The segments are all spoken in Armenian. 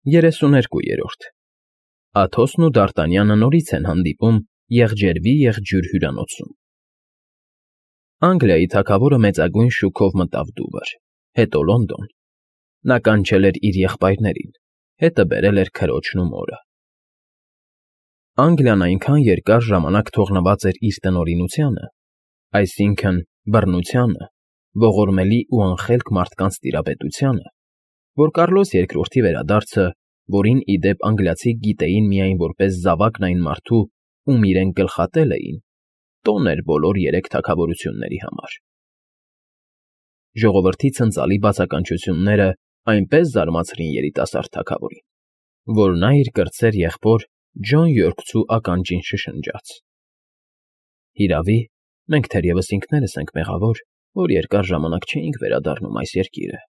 32-րդ Աթոսն ու Դարտանյանը նորից են հանդիպում եղջերվի եղջյուր հյուրանոցում։ Անգլիայի թագավորը մեծագույն շուքով մտավ Դուվր, հետո Լոնդոն։ Նա կանչել էր իր եղբայրներին, հետը բերել էր քրոջն ու մորը։ Անգլիան այնքան երկար ժամանակ թողնված էր իր տնօրինությանը, այսինքն՝ բռնությանը, ողորմելի ու անխելք մարդկանց տիրապետությանը, որ Կարլոս II վերադարձը, որին, ի դեպ, անգլիացիք գիտեին միայն որպես զավակն այն մարդու, ում իրենք գլխատել էին, տոն էր բոլոր երեք թագավորությունների համար։ Ժողովրդի ցնծալի բացականչությունները այնպես զարմացրին երիտասարդ թագավորին, որ նա իր կրտսեր եղբոր Ջոն Յորքցու ականջին շշնջաց. «Հիրավի, մենք թերևս ինքներս ենք մեղավոր, որ երկար ժամանակ չէինք վերադառնում այս երկիրը,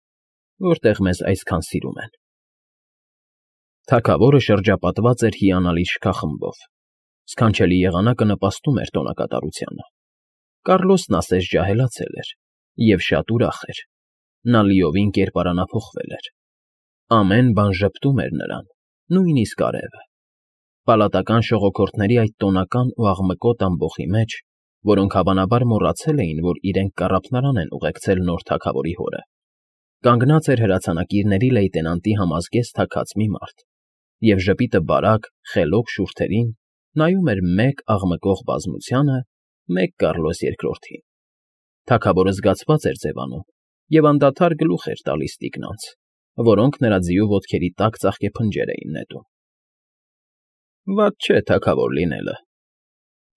որտեղ մեզ այսքան սիրում են»։ Թագավորը շրջապատված էր հիանալի շքախմբով։ Սքանչելի եղանակը նպաստում էր տոնակատարությանը։ Կարլոսն ասես ջահելացել էր և շատ ուրախ էր։ Նա լիովին կերպարանափոխվել էր։ Ամեն բան ժպտում էր նրան, նույնիսկ արևը։ Պալատական ժողովրդների այդ տոնական ու աղմկոտ ամբոխի մեջ, որոնք հավանաբար մոռացել էին, որ իրենք կառափնարան են ուղեկցել նոր թագավորի հորը, կանգնած էր հրացանակիրների լեյտենանտի համազգեստ թաքած մի մարդ, և ժպիտը բարակ, խելոք շուրթերին նայում էր մեկ աղմկող բազմությանը, մեկ Կարլոս II-ին։ Թագավորը զգացված էր ձևանում և անդադար գլուխ էր տալիս տիկնանց, որոնք նրա ձիու ոտքերի տակ ծաղկեփնջեր էին նետում։ «Վատ չէ թագավոր լինելը»,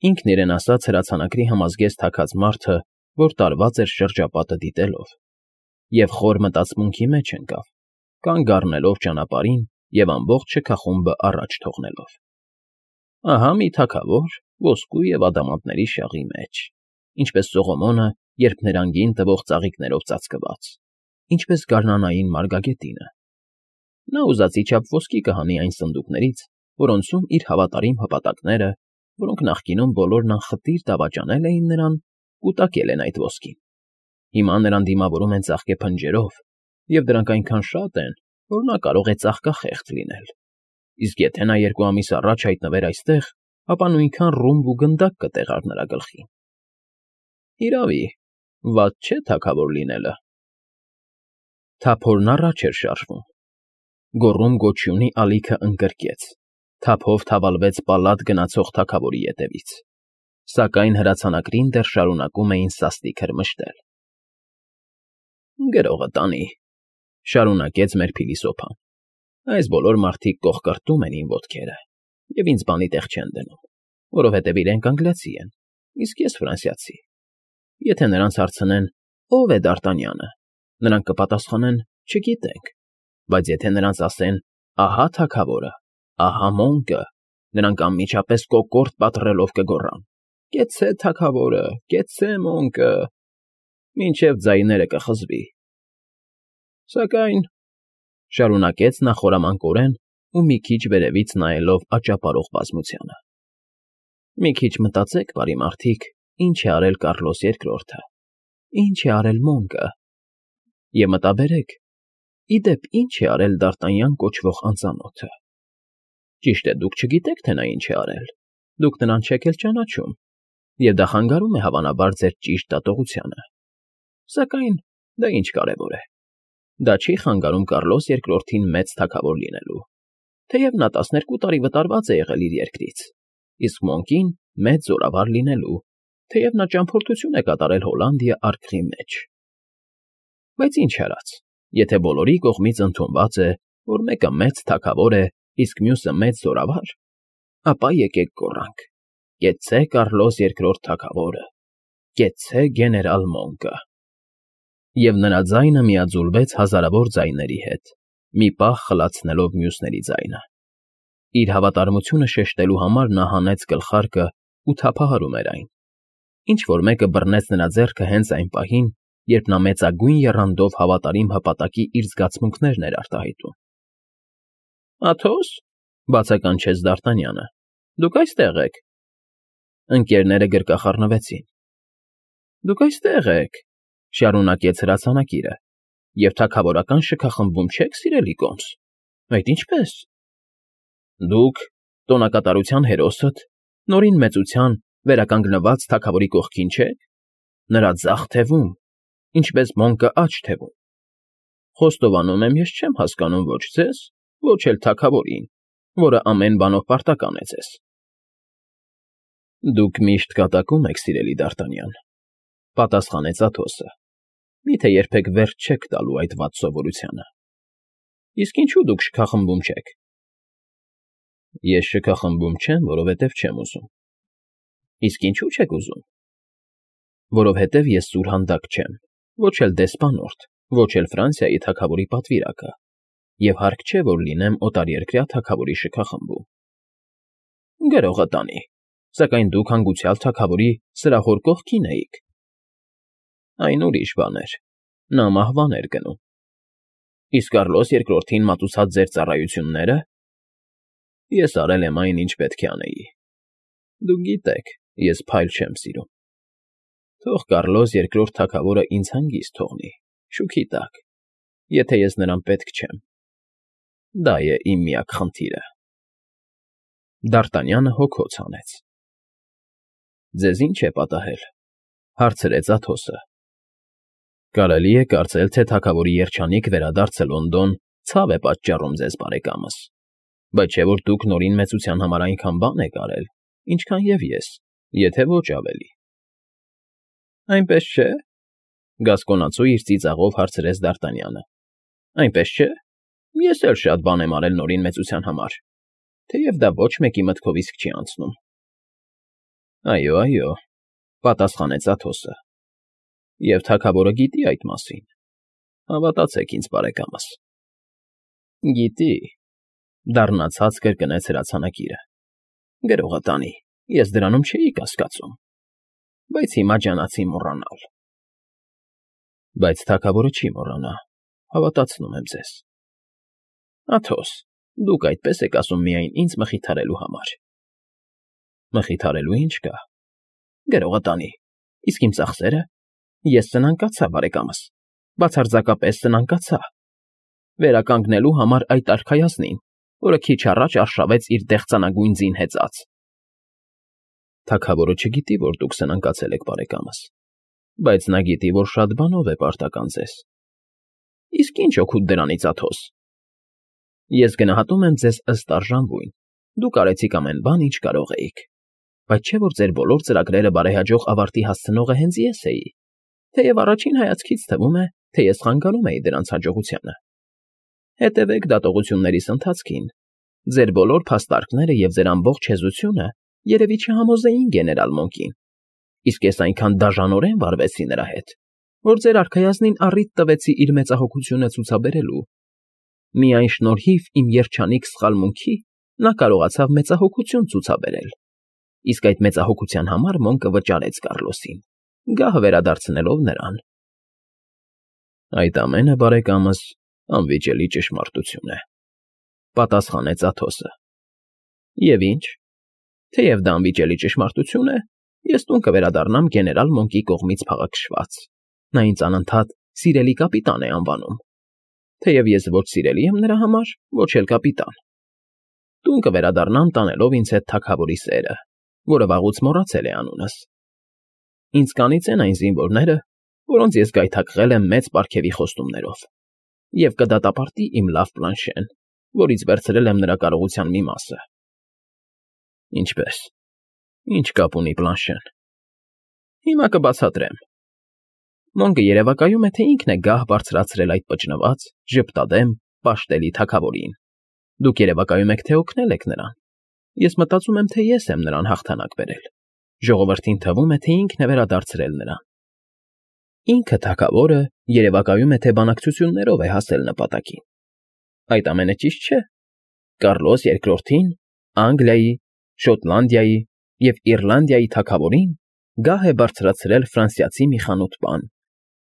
ինքն իրեն ասաց հրացանակրի համազգեստ թաքած մարդը, որ տարված էր շրջապատը դիտելով, և խոր մտածմունքի մեջ ընկավ, կանգ առնելով ճանապարհին և ամբողջ շքախումբը առաջ թողնելով։ Ահա մի թագավոր ոսկու և ադամանդների շաղի մեջ, ինչպես Սողոմոնը, երբ նրանգին տվող ծաղիկներով ծածկված, ինչպես գարնանային մարգագետինը։ Նա ուզածի չափ ոսկի կհանի այն սնդուկներից, որոնցում իր հավատարիմ հպատակները, որոնք նախկինում բոլորն անխտիր դավաճանել էին նրան, կուտակել են այդ ոսկին։ Հիմա նրան դիմավորում են ծաղկեփնջերով, և դրանք այնքան շատ են, որ նա կարող է ծաղկախեղճ լինել։ Իսկ եթե նա 2 ամիս առաջ հայտնվեր այստեղ, ապա նույնքան ռումբ ու գնդակ կտեղար նրա գլխին։ Հիրավի, վատ չէ թագավոր լինելը։ Թափորն առաջ էր շարժվում։ Գոռում֊գոչյունի ալիքը ընկրկեց, թափով թավալվեց պալատ գնացող թագավորի ետևից, սակայն հրացանակրին դեռ շարունակում էին սաստիկ հրմշտել։ «Գրողը տանի», շարունակեց մեր փիլիսոփան։ «Այս բոլոր մարդիկ կոխկրտում են իմ ոտքերը և ինձ բանի տեղ չեն դնում, որովհետև իրենք անգլիացի են, իսկ ես ֆրանսիացի։ Եթե նրանց հարցնեն՝ ո՞վ է Դարտանյանը, նրանք կպատասխանեն՝ չգիտենք, բայց եթե նրանց ասեն՝ ահա թագավորը, ահա մոնկը, նրանք անմիջապես կոկորդ պատռելով կգոռան. «Կեցցե թագավորը, կեցցե մոնկը», մինչև ձայները կխզվի։ Սակայն, շարունակեց նա խորամանկորեն ու մի քիչ վերևից նայելով աճապարող բազմությանը, մի քիչ մտածեք, բարի մարդիկ, ինչ է արել Կարլոս II-ը, ինչ է արել մոնկը, և մտաբերեք, ի դեպ, ինչ է արել Դարտանյան կոչվող անծանոթը։ Ճիշտ է, դուք չգիտեք, թե նա ինչ է արել, դուք նրան չեք էլ ճանաչում, և դա խանգարում է հավանաբար ձեր ճիշտ դատողությանը։ Սակայն դա ինչ կարևոր է։ Դա չի խանգարում Կարլոս II-ին մեծ թագավոր լինելու, թեև նա 12 տարի վտարված է եղել իր երկրից, իսկ Մոնկին մեծ զորավար լինելու, թեև նա ճամփորդություն է կատարել Հոլանդիա արկղի մեջ։ Բայց ինչ արած, եթե բոլորի կողմից ընդունված է, որ մեկը մեծ թագավոր է, իսկ մյուսը մեծ զորավար, ապա եկեք գոռանք. «Կեցցե Կարլոս II թագավորը, կեցցե գեներալ Մոնկը»։ Եվ նրա ձայնը միաձուլվեց հազարավոր ձայների հետ, մի պահ խլացնելով մյուսների ձայնը։ Իր հավատարմությունը շեշտելու համար նա հանեց գլխարկը ու թափահարում էր այն։ Ինչ֊որ մեկը բռնեց նրա ձեռքը հենց այն պահին, երբ նա մեծագույն եռանդով հավատարիմ հպատակի իր զգացմունքներն էր արտահայտում։ «Աթո՞ս», բացականչեց Դարտանյանը, «դուք այստեղ եք»։ Ընկերները գրկախառնվեցին։ «Դուք այստեղ եք», շարունակեց հրացանակիրը, «և թագավորական շքախմբում չեք, սիրելի կոմս։ Այդ ինչպե՞ս։ Դուք տոնակատարության հերոսդ, նորին մեծության վերականգնված թագավորի կողքին չեք, նրա ձախ թևում, ինչպես մոնկը աջ թևում։ Խոստովանում եմ, ես չեմ հասկանում ոչ ձեզ, ոչ էլ թագավորին, որը ամեն բանով պարտական է ձեզ։ Դուք միշտ կատակում եք, սիրելի Դ'Արտանյան, պատասխանեց Աթոսը։ Միթե երբեք վերջ չեք տալու այդ վատ սովորությանը։ Իսկ ինչու դուք շքախմբում չեք։ Ես շքախմբում չեմ, որովհետև չեմ ուզում։ Իսկ ինչու չեք ուզում։ Որովհետև ես սուրհանդակ չեմ, ոչ էլ դեսպանորդ, ոչ էլ Ֆրանսիայի թագավորի պատվիրակը, և հարկ չէ, որ լինեմ օտարերկրյա թագավորի շքախմբում։ Գրողը տանի, սակայն դուք հանգուցյալ թագավորի սրահոր կողքին էիք։ Այն ուրիշ բան էր, նա մահվան էր գնում։ Իսկ Կառլոս II-ին մատուցած ձեր ծառայությունները։ Ես արել եմ այն, ինչ պետք է անեի։ Դուք գիտեք, ես փայլ չեմ սիրում։ Թող Կառլոս II թագավորը ինձ հանգիստ թողնի, շուքի տակ, եթե ես նրան պետք չեմ։ Դա է իմ միակ խնդիրը։ Դ'Արտանյանը հոգոց հանեց։ Ձեզ ինչ է պատահել, հարցրեց Աթոսը։ Կարելի է կարծել, թե թագավորի երջանիկ վերադարձը Լոնդոն ցավ է պատճառում ձեզ, բարեկամս, բայց չէ որ դուք նորին մեծության համար այնքան բան եք արել, ինչքան և ես, եթե ոչ ավելի։ Այնպես չէ, գասկոնացու իր ծիծաղով հարցրեց Դ'Արտանյանը։ Այնպես չէ, ես էլ շատ բան եմ արել նորին մեծության համար, թեև դա ոչ մեկի մտքով իսկ չի անցնում։ Այո, այո, պատասխանեց Աթոսը։ Եվ թագավորը գիտի այդ մասին։ Հավատացեք ինձ, բարեկամս։ Գիտի, դառնացած կրկնեց հրացանակիրը։ Գրողը տանի, ես դրանում չէի կասկածում, բայց հիմա ջանացի մոռանալ։ Բայց թագավորը չի մոռանա, հավատացնում եմ ձեզ։ Աթոս, դուք այդպես եք ասում միայն ինձ մխիթարելու համար։ Մխիթարելու ինչ կա։ Գրողը տանի, իսկ իմ ծախսերը։ Ես սնանկացա, բարեկամս, բացարձակապես սնանկացա։ Վերականգնելու համար այդ արքայազնին, որը քիչ առաջ արշավեց իր դեղցանագույն ձին հեծած։ Թագավորը չգիտի, որ դուք սնանկացել եք, բարեկամս, բայց նա գիտի, որ շատ բանով է պարտական ձեզ։ Իսկ ինչ օգուտ դրանից, Աթոս։ Ես գնահատում եմ ձեզ ըստ արժանվույն, դուք արեցիք ամեն բան, ինչ կարող էիք, բայց չէ որ ձեր բոլոր ծրագրերը բարեհաջող ավարտի հասցնողը հենց ես էի, թեև առաջին հայացքից թվում է, թե ես խանգարում էի դրանց հաջողությանը։ Հետևեք դատողություններիս ընթացքին։ Ձեր բոլոր փաստարկները և ձեր ամբողջ հեզությունը երևի չհամոզեին գեներալ Մոնկին, իսկ ես այնքան դաժանորեն վարվեցի նրա հետ, որ ձեր արքայազնին առիթ տվեցի իր մեծահոգությունը ցուցաբերելու։ Միայն շնորհիվ իմ երջանիկ սխալմունքի նա կարողացավ մեծահոգություն ցուցաբերել, իսկ այդ մեծահոգության համար Մոնկը վճարեց Կառլոսին, գահ վերադարձնելով նրան։ Այդ ամենը, բարեկամս, անվիճելի ճշմարտություն է, պատասխանեց Աթոսը։ Եվ ինչ, թեև դա անվիճելի ճշմարտություն է, ես տուն կվերադառնամ գեներալ Մոնկի կողմից փաղաքշված։ Նա ինձ անընդհատ սիրելի կապիտան է անվանում, թեև ես ոչ սիրելի եմ նրա համար, ոչ էլ կապիտան։ Տուն կվերադառնամ տանելով ինձ հետ թագավորի սերը, որը վաղուց մոռացել է անունս։ Ինձ կանիծեն այն զինվորները, որոնց ես գայթակղել եմ մեծ պարգևի խոստումներով, և կդատապարտի իմ լավ Պլանշեն, որից վերցրել եմ նրա կարողության մի մասը։ Ինչպե՞ս։ Ինչ կապ ունի Պլանշեն։ Հիմա կբացատրեմ։ Մոնկը երևակայում է, թե ինքն է գահ բարձրացրել այդ պճնված, ժպտադեմ, պաշտելի թագավորին։ Դուք երևակայում եք, թե օգնել եք նրան։ Ես մտածում եմ, թե ես եմ նրան հաղթանակ բերել։ Ժողովրդին թվում է, թե ինքն է վերադարձրել նրան։ Ինքը թագավորը երևակայում է, թե բանակցություններով է հասել նպատակին։ Այդ ամենը ճիշտ չէ։ Կառլոս II-ին, Անգլիայի, Շոտլանդիայի և Իռլանդիայի թագավորին գահ է բարձրացրել ֆրանսիացի մի խանութ պան,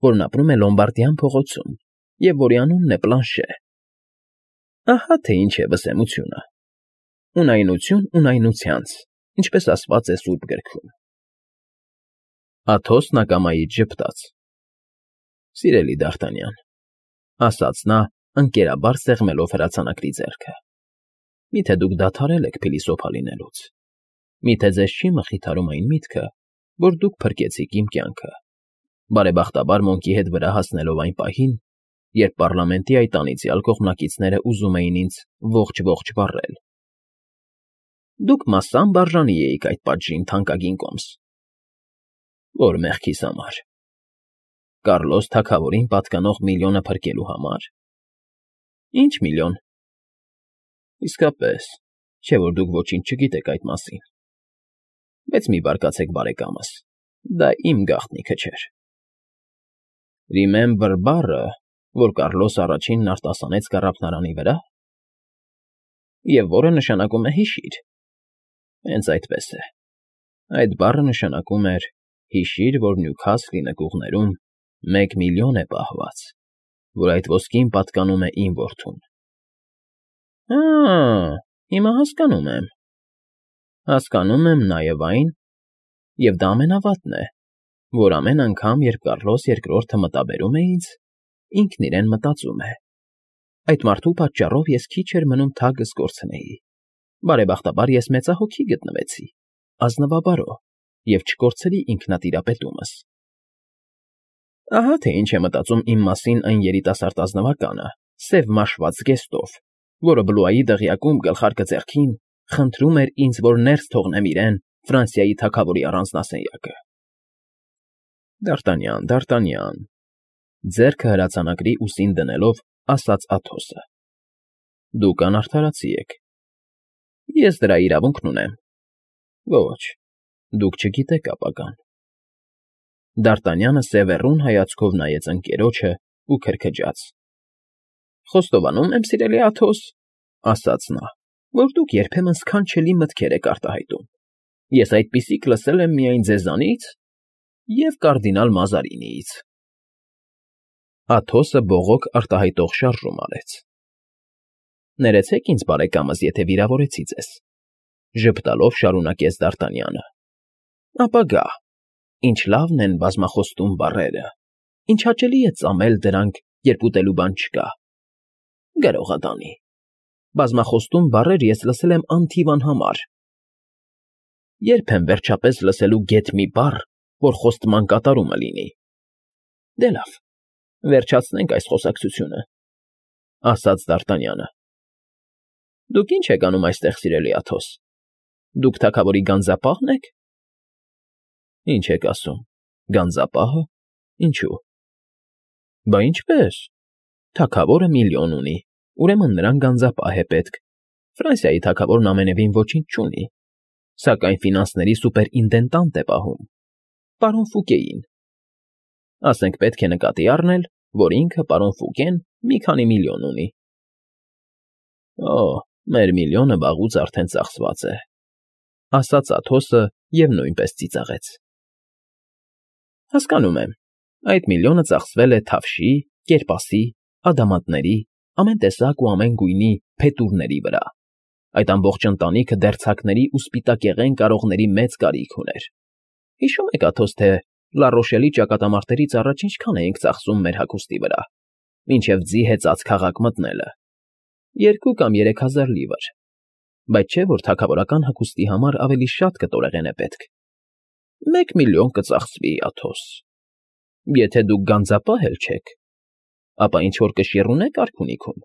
որն ապրում է Լոմբարդյան փողոցում և որի անունն է Պլանշե։ Ահա թե ինչ է վսեմությունը։ Ունայնություն ունայնությանց, ինչպես ասված է Սուրբ Գրքում։ Աթոսն ակամայից ժպտաց։ Սիրելի Դ'Արտանյան, ասաց նա, ընկերաբար սեղմելով հրացանակրի ձեռքը։ Միթե դուք դադարել եք փիլիսոփա լինելուց։ Միթե ձեզ չի մխիթարում այն միտքը, որ դուք փրկեցիք իմ կյանքը, բարեբախտաբար Մոնկի հետ վրա հասնելով այն պահին, երբ պառլամենտի այդ անիծյալ կողմնակիցները ուզում էին ինձ ողջ-ողջ վառել։ Դուք մասամբ արժանի էիք այդ պատժին, թանկագին կոմս։ Որ մեղքիս համար։ Կառլոս թագավորին պատկանող միլիոնը փրկելու համար։ Ինչ միլիոն։ Իսկապես, չէ որ դուք ոչինչ չգիտեք այդ մասին։ Բայց մի բարկացեք բարեկամս, դա իմ գաղտնիքը չէր։ Remember բառը, որ Կառլոս առաջինն արտասանեց կառափնարանի վրա, և որը նշանակում է հիշիր։ Հենց այդպես է։ Այդ բառը նշանակում էր հիշիր, որ Նյուքասլի նկուղներում 1 միլիոն է պահված, որ այդ ոսկին պատկանում է իմ որդուն։ Հիմա հասկանում եմ։ Հասկանում եմ նաև այն, և դա ամենավատն է, որ ամեն անգամ, երբ Կառլոս II-ը մտաբերում է ինձ, ինքն իրեն մտածում է. այդ մարդու պատճառով ես քիչ էր մնում թագս կորցնեի, բարեբախտաբար ես մեծահոգի գտնվեցի, ազնվաբարո, և չկորցրի ինքնատիրապետումս։ Ահա թե ինչ է մտածում իմ մասին այն երիտասարդ ազնվականը, սև մաշված զգեստով, որը Բլուայի դղյակում գլխարկը ձեռքին խնդրում էր ինձ, որ ներս թողնեմ իրեն Ֆրանսիայի թագավորի առանձնասենյակը։ Դարտանյան, Դարտանյան, ձեռքը հրացանակրի ուսին դնելով, ասաց Աթոսը։ Դուք անարդարացի եք։ Ես դրա իրավունքն ունեմ։ Ոչ, դուք չգիտեք ապագան։ Դարտանյանը սևեռուն հայացքով նայեց ընկերոջը ու քրքջաց։ Խոստովանում եմ, սիրելի Աթոս, ասաց նա, որ դուք երբեմն սքանչելի մտքեր եք արտահայտում։ Ես այդպիսիք լսել եմ միայն ձեզանից և կարդինալ Մազարինիից։ Աթոսը բողոք արտահայտող շարժում արեց։ Ներեցեք ինձ, բարեկամս, եթե վիրավորեցի ձեզ, ժպտալով շարունակեց Դարտանյանը։ Ապագա, ինչ լավն են բազմախոստում բառերը, ինչ հաճելի է ծամել դրանք, երբ ուտելու բան չկա։ Գրողադանի, բազմախոստում բառեր ես լսել եմ անթիվ անհամար։ Երբ եմ վերջապես լսելու գեթ մի բառ, որ խոստման կատարումը լինի։ Դե լավ, վերջացնենք այս խոսակցությունը, ասաց Դարտանյանը։ Դուք ինչ եք անում այստեղ, սիրելի Աթոս։ Դուք թագավորի գանձապահն եք։ Ինչ եք ասում, գանձապահը։ Ինչու։ Բա ինչպես։ Թագավորը միլիոն ունի, ուրեմն նրան գանձապահ է պետք։ Ֆրանսիայի թագավորն ամենևին ոչինչ չունի, սակայն ֆինանսների սուպերինտենդանտ է պահում, պարոն Ֆուկեին։ Ասենք պետք է նկատի առնել, որ ինքը պարոն Ֆուկեն մի քանի միլիոն ունի։ Օ, մեր միլիոնը վաղուց արդեն ծախսված է, ասաց Աթոսը և նույնպես ծիծաղեց։ Հասկանում եմ, այդ միլիոնը ծախսվել է թավշի, կերպասի, ադամանդների, ամեն տեսակ ու ամեն գույնի փետուրների վրա։ Այդ ամբողջ ընտանիքը դերձակների ու սպիտակեղեն կարողների մեծ կարիք ուներ։ Հիշում եք, Աթոս, թե Լառոշելի ճակատամարտերից առաջ ինչքան էինք ծախսում մեր հագուստի վրա, մինչև ձի հեծած քաղաք մտնելը։ 2 կամ 3000 լիվր, բայց չէ, որ թագավորական հագուստի համար ավելի շատ կտորեղեն է պետք։ 1 միլիոն կծախսվի, Աթոս։ Եթե դուք գանձապահ էլ չեք, ապա ինչ-որ կշիռ ունեք արքունիքում։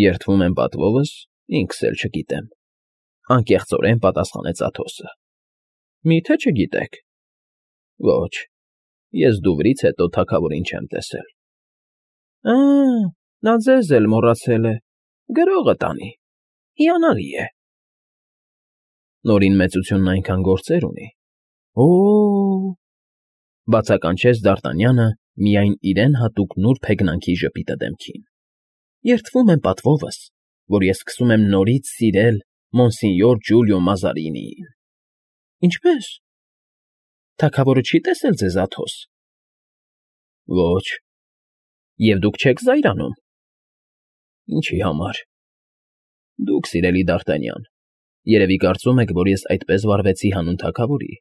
Երդվում եմ պատվովս, ինքս էլ չգիտեմ, անկեղծորեն պատասխանեց Աթոսը։ Մի՞թե չգիտեք։ Ոչ, ես Դուվրից հետո թագավորին չեմ տեսել։ Նա ձեզ էլ մոռացել է, գրողը տանի, հիանալի է։ Նորին մեծությունն այնքան գործեր ունի։ Բացականչեց Դարտանյանը միայն իրեն հատուկ նուրբ հեգնանքի ժպիտը դեմքին։ Երդվում եմ պատվովս, որ ես սկսում եմ նորից սիրել Մոնսինյոր Ջուլիո Մազարինիին։ Ինչպե՞ս։ Թագավորը չի տեսել ձեզ, Աթոս։ Ոչ։ Եվ դուք չեք զայրանում։ Ինչի համար։ Դուք, սիրելի Դարտանյան, երևի կարծում եք, որ ես այդպես վարվեցի հանուն թագավորի,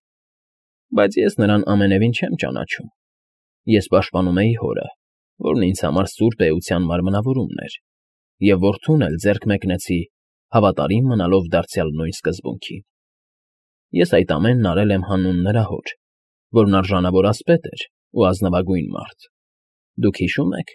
բայց ես նրան ամենևին չեմ ճանաչում։ Ես պաշտպանում էի հորը, որն ինձ համար սուրբ էության մարմնավորումն էր, և որդուն էլ ձեռք մեկնեցի, հավատարիմ մնալով դարձյալ նույն սկզբունքին։ Ես այդ ամենն արել եմ հանուն նրա հոր, որն արժանավոր ասպետ էր ու ազնվագույն մարդ։ Դուք հիշո՞ւմ եք,